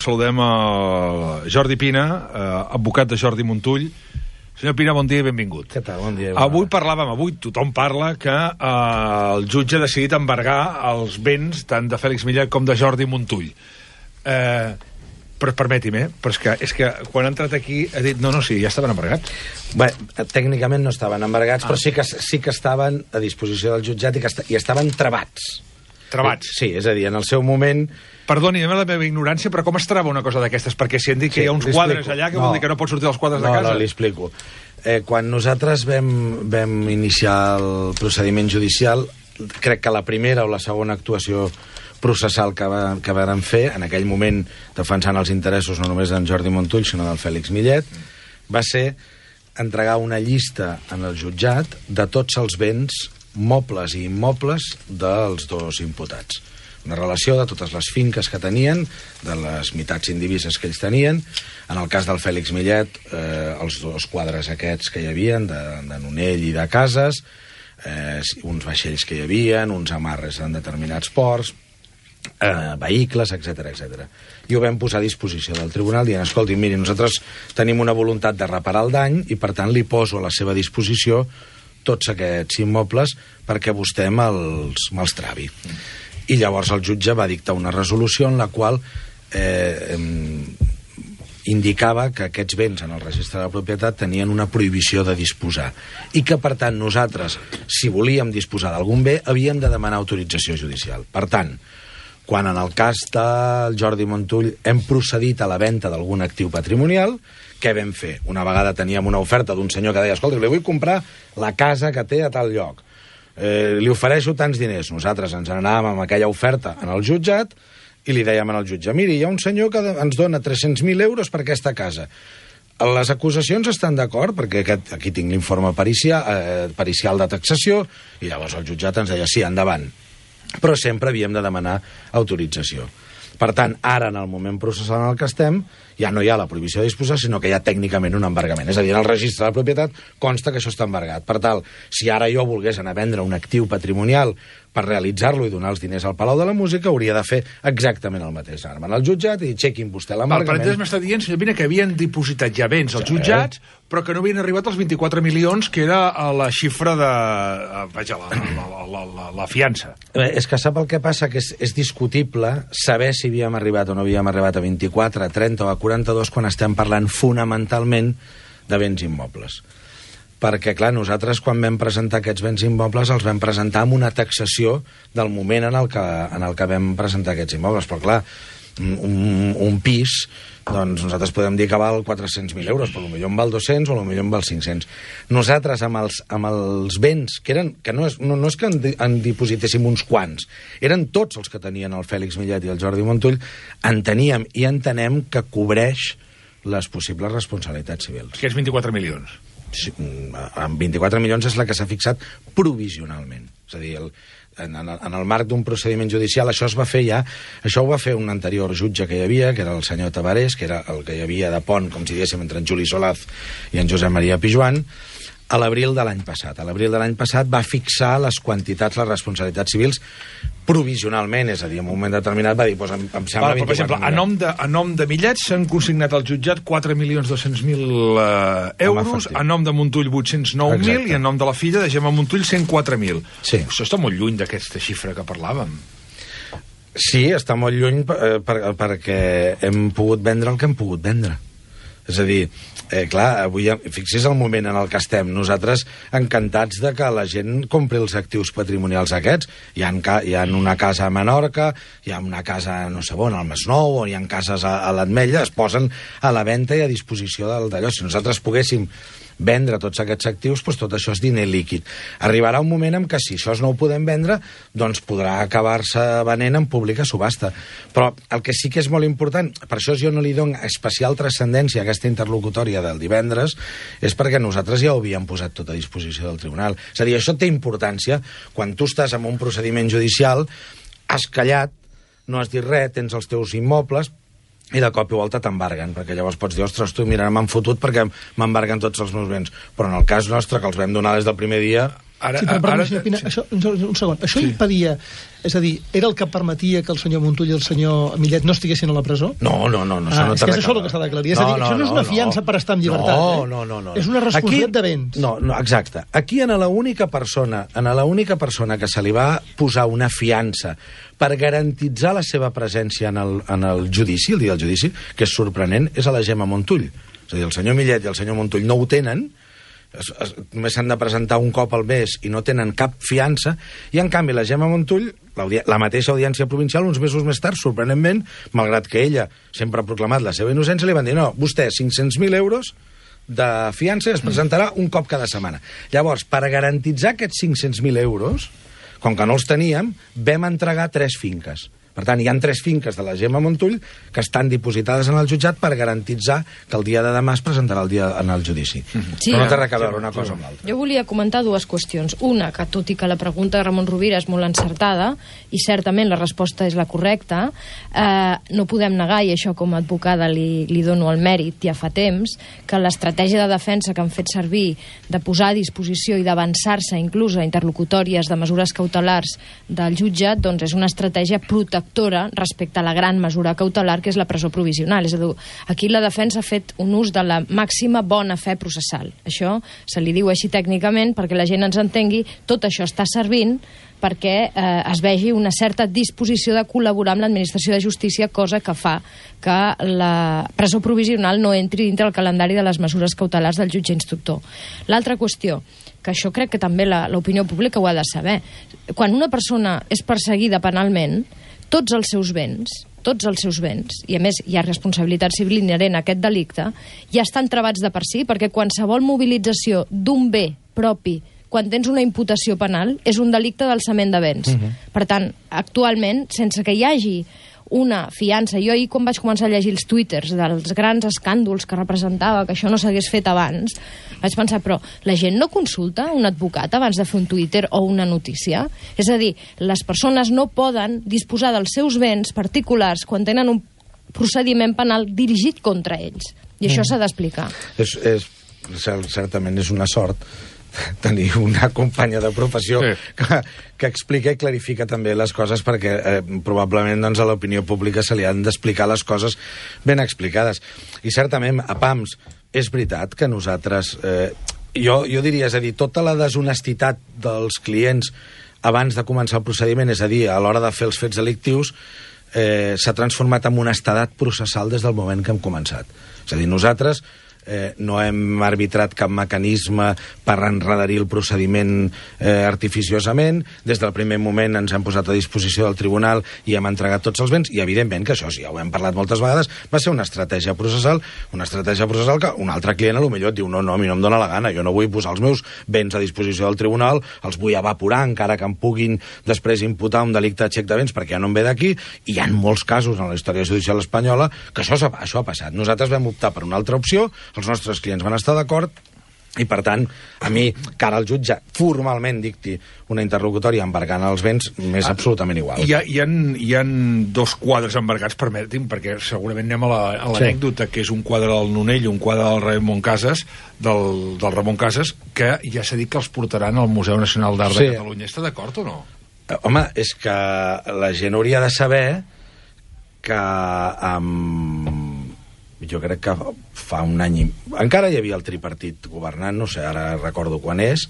Saludem a Jordi Pina, advocat de Jordi Montull. Senyor Pina, bon dia i benvingut. Què tal? Bon dia. Avui tothom parla que el jutge ha decidit embargar els béns tant de Fèlix Millet com de Jordi Montull. Però permeti'm, però és que quan ha entrat aquí ha dit sí, ja estaven embargats. Bé, tècnicament no estaven embargats, però sí que estaven a disposició del jutjat i estaven travats. Travats? Sí, és a dir, en el seu moment... Perdoni, la meva ignorància, però com es trava una cosa d'aquestes? Perquè si han dit que hi ha uns quadres allà, que vol dir que no pot sortir dels quadres de casa? No, li explico. Quan nosaltres vam iniciar el procediment judicial, crec que la primera o la segona actuació processal que vàrem fer, en aquell moment defensant els interessos no només d'en Jordi Montull, sinó del Fèlix Millet, va ser entregar una llista en el jutjat de tots els béns mobles i immobles dels dos imputats. Una relació de totes les finques que tenien, de les meitats indivises que ells tenien. En el cas del Fèlix Millet, els dos quadres aquests que hi havia, de Nonell i de Cases, uns vaixells que hi havia, uns amarres en determinats ports, vehicles, etc. I ho vam posar a disposició del tribunal dient, escolti, miri, nosaltres tenim una voluntat de reparar el dany i per tant li poso a la seva disposició tots aquests immobles perquè vostè me'ls travi. I llavors el jutge va dictar una resolució en la qual indicava que aquests béns en el registre de la propietat tenien una prohibició de disposar i que, per tant, nosaltres, si volíem disposar d'algun bé, havíem de demanar autorització judicial. Per tant, quan en el cas del Jordi Montull hem procedit a la venda d'algun actiu patrimonial, què vam fer? Una vegada teníem una oferta d'un senyor que deia, escolta, li vull comprar la casa que té a tal lloc. Li ofereixo tants diners. Nosaltres ens n'anàvem amb aquella oferta en el jutjat i li dèiem al jutge, miri, hi ha un senyor que ens dona 300.000 euros per aquesta casa. Les acusacions estan d'acord, perquè aquí tinc l'informe pericial de taxació, i llavors el jutjat ens deia, sí, endavant. Però sempre havíem de demanar autorització. Per tant, ara, en el moment processal en el que estem, ja no hi ha la prohibició de disposar, sinó que hi ha tècnicament un embargament. És a dir, en el registre de la propietat consta que això està embargat. Per tant, si ara jo volgués anar a vendre un actiu patrimonial per realitzar-lo i donar els diners al Palau de la Música, hauria de fer exactament el mateix. Anar al jutjat i dir, chequin vostè l'embargament. Per entès m'està dient, senyor Pina, que havien dipositat ja béns als jutjats, però que no havien arribat als 24 milions, que era la xifra de... Vaja, la fiança. És que sap el que passa? Que és discutible saber si havíem arribat o no havíem arribat a 24, a 30 o a 42 quan estem parlant fonamentalment de béns immobles. Perquè, clar, nosaltres quan vam presentar aquests béns immobles els vam presentar amb una taxació del moment en el que vam presentar aquests immobles. Però, clar, un pis, doncs nosaltres podem dir que val 400.000 euros, però potser en val 200 o potser en val 500. Nosaltres, amb els béns, que no és que en dipositéssim uns quants, eren tots els que tenien el Fèlix Millet i el Jordi Montull, enteníem i entenem que cobreix les possibles responsabilitats civils. Que és 24 milions. Amb 24 milions és la que s'ha fixat provisionalment. És a dir, en el marc d'un procediment judicial això es va fer ja, això ho va fer un anterior jutge que hi havia, que era el senyor Tabarés, que era el que hi havia de pont, com si diguéssim, entre en Juli Solaz i en Josep Maria Pijuan, a l'abril de l'any passat. A l'abril de l'any passat va fixar les quantitats, les responsabilitats civils, provisionalment, és a dir, en un moment determinat va dir, doncs em sembla 24 milions. Per exemple, a nom de Millet s'han consignat al jutjat 4.200.000 euros, a nom de Montull 809.000 i a nom de la filla de Gemma Montull 104.000. Sí. Això està molt lluny d'aquesta xifra que parlàvem. Sí, està molt lluny perquè hem pogut vendre el que hem pogut vendre. És a dir, clar, avui, fixi's el moment en el que estem. Nosaltres encantats de que la gent compri els actius patrimonials aquests. Hi ha una casa a Menorca, hi ha una casa, no sé on, al Masnou, o hi ha cases a l'Ametlla, es posen a la venda i a disposició d'allò. Si nosaltres poguéssim vendre tots aquests actius, doncs tot això és diner líquid. Arribarà un moment en què si això no ho podem vendre, doncs podrà acabar-se venent en pública subhasta. Però el que sí que és molt important, per això jo no li dono especial transcendència a aquesta interlocutòria del divendres, és perquè nosaltres ja ho havíem posat tot a disposició del tribunal. És a dir, això té importància quan tu estàs en un procediment judicial, has callat, no has dit res, tens els teus immobles, i de cop i volta t'embarguen, perquè llavors pots dir, ostres, tu, mira, m'han fotut perquè m'embarguen tots els meus béns. Però en el cas nostre, que els vam donar des del primer dia, Sí, però perdó, senyor Pina, un segon. Això impedia, és a dir, era el que permetia que el senyor Montull i el senyor Millet no estiguessin a la presó? No, és que és això el que s'ha d'aclarir. És a dir, això no és una fiança per estar en llibertat. No. És una responsabilitat de béns. No, exacte. Aquí a l'única persona que se li va posar una fiança per garantitzar la seva presència en el judici, el dia del judici, que és sorprenent, és a la Gemma Montull. És a dir, el senyor Millet i el senyor Montull no ho tenen, només s'han de presentar un cop al mes i no tenen cap fiança, i en canvi la Gemma Montull, la mateixa audiència provincial, uns mesos més tard, sorprenentment, malgrat que ella sempre ha proclamat la seva innocència, li van dir, no, vostè 500.000 euros de fiança i es presentarà un cop cada setmana. Llavors, per garantitzar aquests 500.000 euros, com que no els teníem, vam entregar 3 finques. Per tant, hi ha 3 finques de la Gemma Montull que estan dipositades en el jutjat per garantitzar que el dia de demà es presentarà en el judici. Sí, però no té res a veure una cosa amb l'altra. Jo volia comentar 2 qüestions. Una, que tot i que la pregunta de Ramon Rovira és molt encertada, i certament la resposta és la correcta, no podem negar, i això com a advocada li dono el mèrit ja fa temps, que l'estratègia de defensa que han fet servir de posar a disposició i d'avançar-se inclús a interlocutòries de mesures cautelars del jutjat, doncs és una estratègia protectora respecte a la gran mesura cautelar que és la presó provisional. És a dir, aquí la defensa ha fet un ús de la màxima bona fe processal. Això se li diu així tècnicament perquè la gent ens entengui. Tot això està servint perquè es vegi una certa disposició de col·laborar amb l'administració de justícia, cosa que fa que la presó provisional no entri dintre el calendari de les mesures cautelars del jutge instructor. L'altra qüestió, que això crec que també l'opinió pública ho ha de saber. Quan una persona és perseguida penalment, tots els seus béns, i a més hi ha responsabilitat civil inherent a aquest delicte, ja estan travats de per si, perquè qualsevol mobilització d'un bé propi quan tens una imputació penal és un delicte d'alçament de béns. Per tant, actualment, sense que hi hagi una fiança. Jo ahir, quan vaig començar a llegir els twitters dels grans escàndols que representava que això no s'hagués fet abans, vaig pensar, però la gent no consulta un advocat abans de fer un twitter o una notícia? És a dir, les persones no poden disposar dels seus béns particulars quan tenen un procediment penal dirigit contra ells. I això s'ha d'explicar. Certament és una sort tenir una companya de professió que explica i clarifica també les coses, perquè probablement doncs, a l'opinió pública se li han d'explicar les coses ben explicades. I certament, a PAMS, és veritat que nosaltres... Jo diria, és a dir, tota la deshonestitat dels clients abans de començar el procediment, és a dir, a l'hora de fer els fets delictius, s'ha transformat en un estadat processal des del moment que hem començat. És a dir, nosaltres no hem arbitrat cap mecanisme per enredarir el procediment artificiosament. Des del primer moment ens hem posat a disposició del tribunal i hem entregat tots els béns, i evidentment que això, ja ho hem parlat moltes vegades, va ser una estratègia processal que un altre client a lo millor et diu no, a mi no em dóna la gana, jo no vull posar els meus béns a disposició del tribunal, els vull evaporar encara que em puguin després imputar un delicte de xec de béns perquè ja no em ve d'aquí, i hi ha molts casos en la història judicial espanyola que això ha passat. Nosaltres vam optar per una altra opció, els nostres clients van estar d'acord, i per tant, a mi, que ara el jutge formalment dicti una interlocutòria embargant els béns, m'és absolutament igual. Hi ha 2 quadres embargats, permeti'm, perquè segurament anem a l'anècdota, que és un quadre del Nonell i un quadre del Ramon Casas, del Ramon Casas, que ja s'ha dit que els portaran al Museu Nacional d'Art de Catalunya. Està d'acord o no? Home, és que la gent hauria de saber que jo crec que fa un any encara hi havia el tripartit governant, no sé, ara recordo quan és,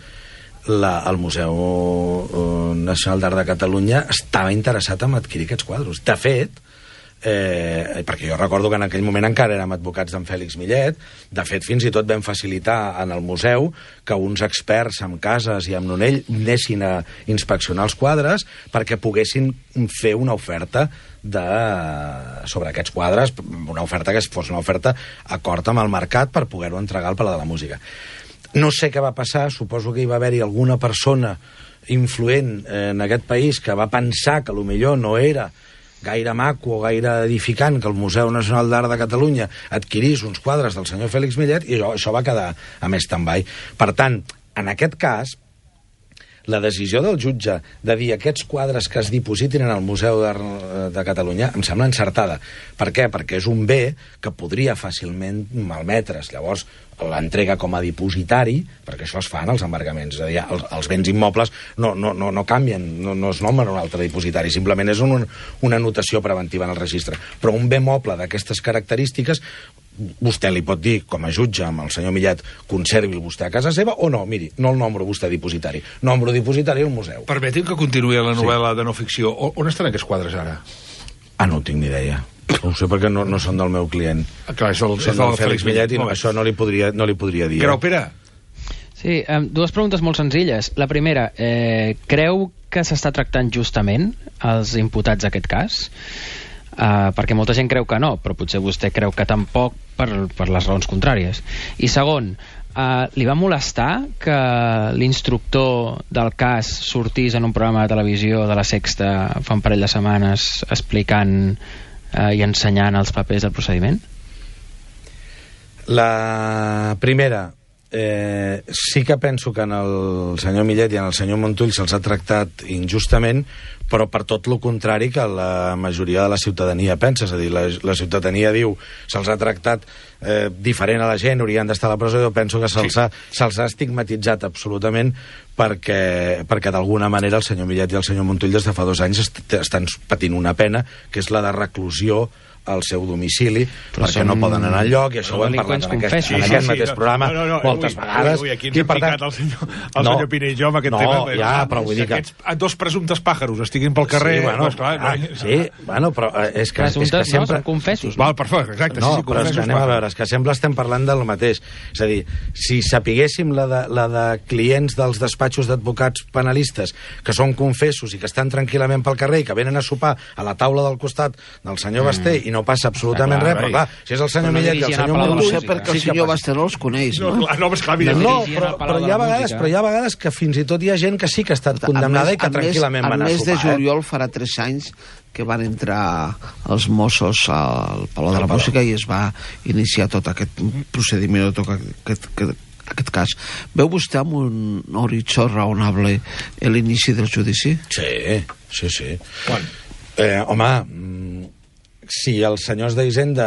el Museu Nacional d'Art de Catalunya estava interessat en adquirir aquests quadres. De fet, perquè jo recordo que en aquell moment encara érem advocats d'en Fèlix Millet, de fet fins i tot vam facilitar en el museu que uns experts amb Casas i amb Nonell anessin a inspeccionar els quadres perquè poguessin fer una oferta sobre aquests quadres, una oferta que fos una oferta acord amb el mercat per poder-ho entregar al Palau de la Música. No sé què va passar, suposo que hi va haver-hi alguna persona influent en aquest país que va pensar que potser no era gaire maco o gaire edificant que el Museu Nacional d'Art de Catalunya adquirís uns quadres del senyor Fèlix Millet, i això va quedar a més stand-by. Per tant, en aquest cas, la decisió del jutge de dir aquests quadres que es dipositin en el Museu d'Art de Catalunya em sembla encertada. Per què? Perquè és un bé que podria fàcilment malmetre's. Llavors, l'entrega com a dipositari, perquè això es fa en els embargaments, és a dir, els béns immobles no canvien, no es nomenen un altre dipositari, simplement és una anotació preventiva en el registre. Però un bé moble d'aquestes característiques, vostè li pot dir, com a jutge amb el senyor Millet, conservi-el vostè a casa seva, o no, miri, no el nombro vostè dipositari, nombro dipositari al museu. Permeti'm que continuï la novel·la de no ficció. On estan aquests quadres ara? No tinc ni idea. No ho sé perquè no són del meu client. Clar, són del Fèlix Millet i això no li podria dir. Grau Pere? Sí, dues preguntes molt senzilles. La primera, creu que s'està tractant justament els imputats d'aquest cas? Perquè molta gent creu que no, però potser vostè creu que tampoc per les raons contràries. I segon, li va molestar que l'instructor del cas sortís en un programa de televisió de La Sexta fa un parell de setmanes explicant i ensenyant els papers del procediment? La primera, sí que penso que en el senyor Millet i en el senyor Montull se'ls ha tractat injustament, però per tot lo contrari que la majoria de la ciutadania pensa. És a dir, la ciutadania diu se'ls ha tractat diferent a la gent, haurien d'estar a la presó. Jo penso que se'ls ha estigmatitzat absolutament perquè d'alguna manera el senyor Millet i el senyor Montull des de fa 2 anys estan patint una pena, que és la de reclusió al seu domicili, però perquè no poden anar enlloc, i això ho hem parlat en aquest mateix programa moltes vegades. Aquí ens hem picat el senyor Pina i jo amb aquest tema. Ja, però vull dir que aquests dos presumptes pàjaros estiguin pel carrer... Però és que sempre... Són confessos. Val, perfecte, exacte. No, però és que anem a veure, és que sempre estem parlant del mateix. És a dir, si sapiguéssim la de clients dels despatxos d'advocats penalistes que són confessos i que estan tranquil·lament pel carrer i que venen a sopar a la taula del costat del senyor Basté i no passa absolutament res, però clar, si és el senyor Millet i el senyor Montull... No sé perquè el senyor Basté no els coneix, no? Però hi ha vegades que fins i tot hi ha gent que sí que ha estat condemnada i que tranquil·lament van a sopar. El mes de juliol farà 3 anys que van entrar els Mossos al Palau de la Música i es va iniciar tot aquest procediment, tot aquest cas. Veu vostè amb un horitzó raonable l'inici del judici? Sí. Home, si els senyors d'Hisenda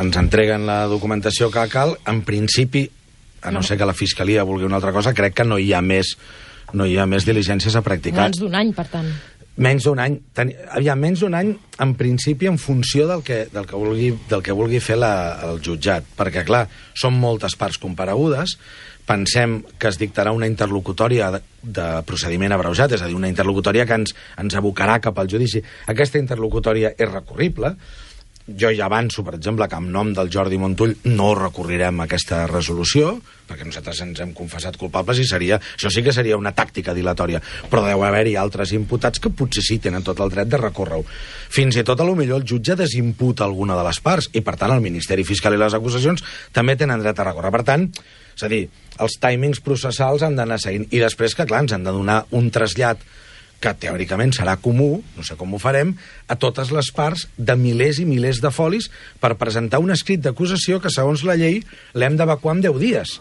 ens entreguen la documentació que cal, en principi, a no ser que la Fiscalia vulgui una altra cosa, crec que no hi ha més diligències a practicar. Menys d'1 any, per tant. Menys d'un any. Menys d'un any, en principi, en funció del que vulgui fer el jutjat. Perquè, clar, són moltes parts comparegudes. Pensem que es dictarà una interlocutòria de procediment abreujat, és a dir, una interlocutòria que ens abocarà cap al judici. Aquesta interlocutòria és recurrible. Jo ja avanço, per exemple, que en nom del Jordi Montull no recorrirem a aquesta resolució, perquè nosaltres ens hem confessat culpables i això sí que seria una tàctica dilatòria, però deu haver-hi altres imputats que potser sí tenen tot el dret de recórrer-ho. Fins i tot, a lo millor, el jutge desimputa alguna de les parts i, per tant, el Ministeri Fiscal i les acusacions també tenen dret a recórrer. Per tant, és a dir, els timings processals han d'anar seguint. I després, que clar, ens han de donar un trasllat que teòricament serà comú, no sé com ho farem, a totes les parts de milers i milers de folis per presentar un escrit d'acusació que, segons la llei, l'hem d'evacuar en 10 dies.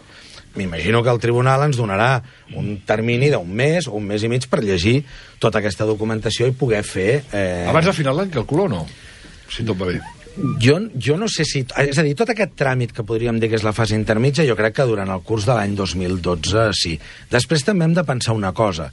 M'imagino que el tribunal ens donarà un termini d'1 mes o 1 mes i mig per llegir tota aquesta documentació i poder fer... Abans de final d'any calculo o no? Si tot va bé. Jo no sé si... És a dir, tot aquest tràmit que podríem dir que és la fase intermitja, jo crec que durant el curs de l'any 2012 sí. Després també hem de pensar una cosa.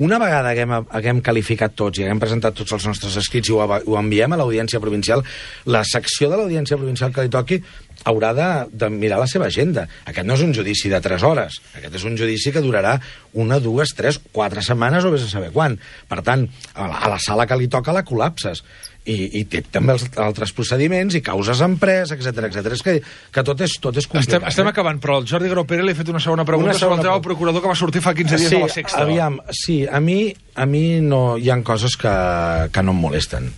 Una vegada haguem qualificat tots i haguem presentat tots els nostres escrits i ho enviem a l'Audiència Provincial, la secció de l'Audiència Provincial que li toqui haurà de mirar la seva agenda. Aquest no és un judici de 3 hores. Aquest és un judici que durarà 1, 2, 3, 4 setmanes o vés a saber quan. Per tant, a la sala que li toca la col·lapses. I té també els altres procediments i causes en pres, etc. És que tot és complicat. Estem acabant, però el Jordi Grau Pere li ha fet una segona pregunta sobre el tema del procurador que va sortir fa 15 dies a La Sexta. Sí, a mi no hi ha coses que no em molesten.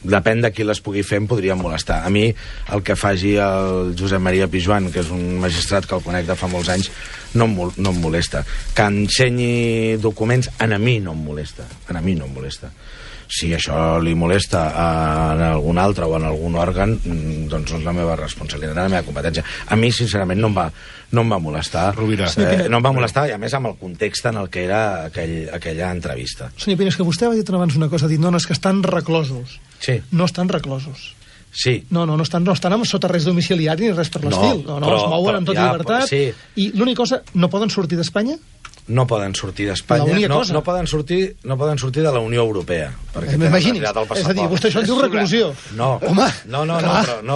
Depèn de qui les pugui fer, em podria molestar. A mi el que faci el Josep Maria Pijuan, que és un magistrat que el conec de fa molts anys, no em molesta. Que ensenyi documents, a mi no em molesta. Si això li molesta en algun altre o en algun òrgan, doncs no és la meva responsabilitat, la meva competència. A mi, sincerament, no em va molestar. Rovira. No em va molestar, i a més amb el context en el que era aquella entrevista. Senyor Pina, és que vostè va dir abans una cosa, ha dit, no, és que estan reclosos. Sí. No estan reclosos. Sí. No estan sota res domiciliari ni res per l'estil. No, es mouen amb tota llibertat. Sí. I l'única cosa, no poden sortir d'Espanya? No poden sortir d'Espanya, no poden sortir de la Unió Europea. M'imagini's, és a dir, vostè això en diu reclusió. No,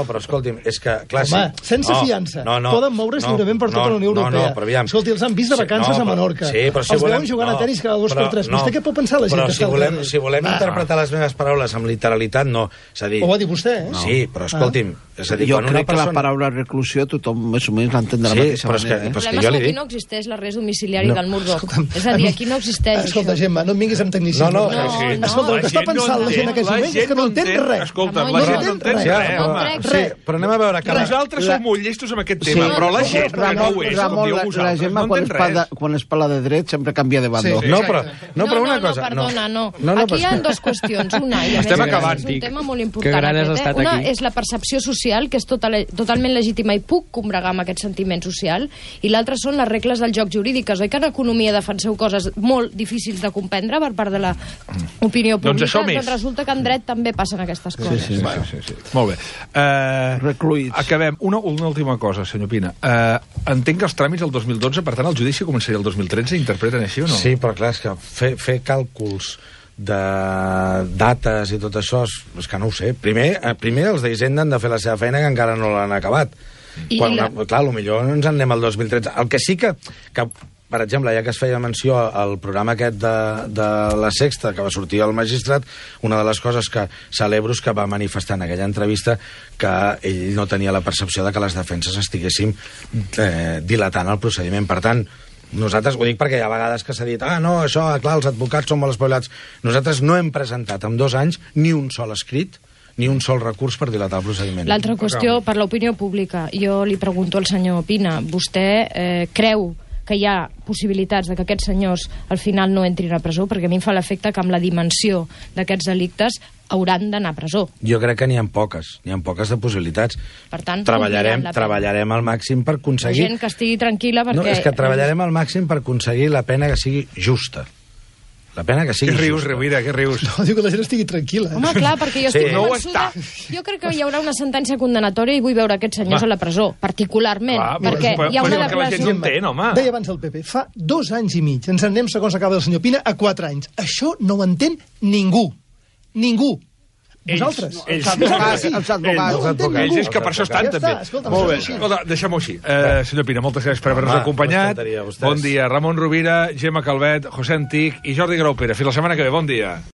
però escolti'm, és que, clar, sí. Home, sense fiança, poden moure's lliurement per tota la Unió Europea. Escolti, els han vist de vacances a Menorca. Els veuen jugant a tenis cada 2x3. Vostè què pot pensar la gent que està al carrer? Si volem interpretar les meves paraules amb literalitat, no. Ho va dir vostè, eh? Sí, però escolti'm, és a dir, jo crec que la paraula reclusió tothom més o menys l'entén de la mateixa manera. El problema és que aquí no existeix l'arrest domiciliari del Murdoch. És a dir, aquí no existeix. Escolta, Gemma, no em vinguis amb tecnicisme. Escolta, el que està pensant la gent en aquests moments és que no entén res. Escolta, la gent no entén res. Però anem a veure... Nosaltres som molt llestos amb aquest tema, però la gent que no ho és, com dieu vosaltres, la Gemma, quan es parla de dret, sempre canvia de bando. No, però una cosa... Perdona, no. Aquí hi ha dues qüestions. Una, i a més és un tema molt important. Una és la percepció social, que és totalment legítima i puc combregar amb aquest sentiment social, i l'altra són les regles del joc jurídiques. Oi que en economia defenseu coses molt difícils de comprendre per part de l'opinió pública? Doncs resulta que en dret també passen aquestes coses. Sí. Molt bé. Recluïts. Acabem. Una última cosa, senyor Pina. Entenc que els tràmits del 2012, per tant, el judici començaria el 2013, interpreten així o no? Sí, però clar, és que fer càlculs de dates i tot això, és que no ho sé. Primer els d'Hisenda han de fer la seva feina, que encara no l'han acabat. Clar, potser ens en anem al 2013. El que sí que per exemple, ja que es feia menció al programa aquest de la Sexta, que va sortir al Magistrat, una de les coses que celebro és que va manifestar en aquella entrevista que ell no tenia la percepció de que les defenses estiguéssim dilatant el procediment. Per tant, nosaltres, ho dic perquè hi ha vegades que s'ha dit això, clar, els advocats són molt espavilats. Nosaltres no hem presentat en 2 anys ni un sol escrit, ni un sol recurs per dilatar el procediment. L'altra qüestió, per l'opinió pública, jo li pregunto al senyor Pina, vostè creu que hi ha possibilitats de que aquests senyors al final no entrin a presó? Perquè a mi em fa l'efecte que amb la dimensió d'aquests delictes hauran d'anar a presó. Jo crec que n'hi ha poques de possibilitats. Per tant, treballarem al màxim per aconseguir... La gent que estigui tranquil·la perquè... No, és que treballarem al màxim per aconseguir la pena que sigui justa. La pena que sigui justa. Què rius, justa. Rovira, què rius? No, diu que la gent estigui tranquil·la. Home, clar, perquè jo estic convençuda... Jo crec que hi haurà una sentència condenatòria i vull veure aquests senyors a la presó, particularment, perquè hi ha una declaració... Deia abans el PP, fa 2 anys i mig, ens en anem, segons acaba el senyor Pina, a 4 anys. Això no ho entén ningú. Ningú. Vosaltres. Els advocats. Ells és que per això estan, també. Molt bé, deixem-ho així. Senyor Pina, moltes gràcies per haver-nos acompanyat. Bon dia, Ramon Rovira, Gemma Calvet, José Antic i Jordi Graupera. Fins la setmana que ve, bon dia.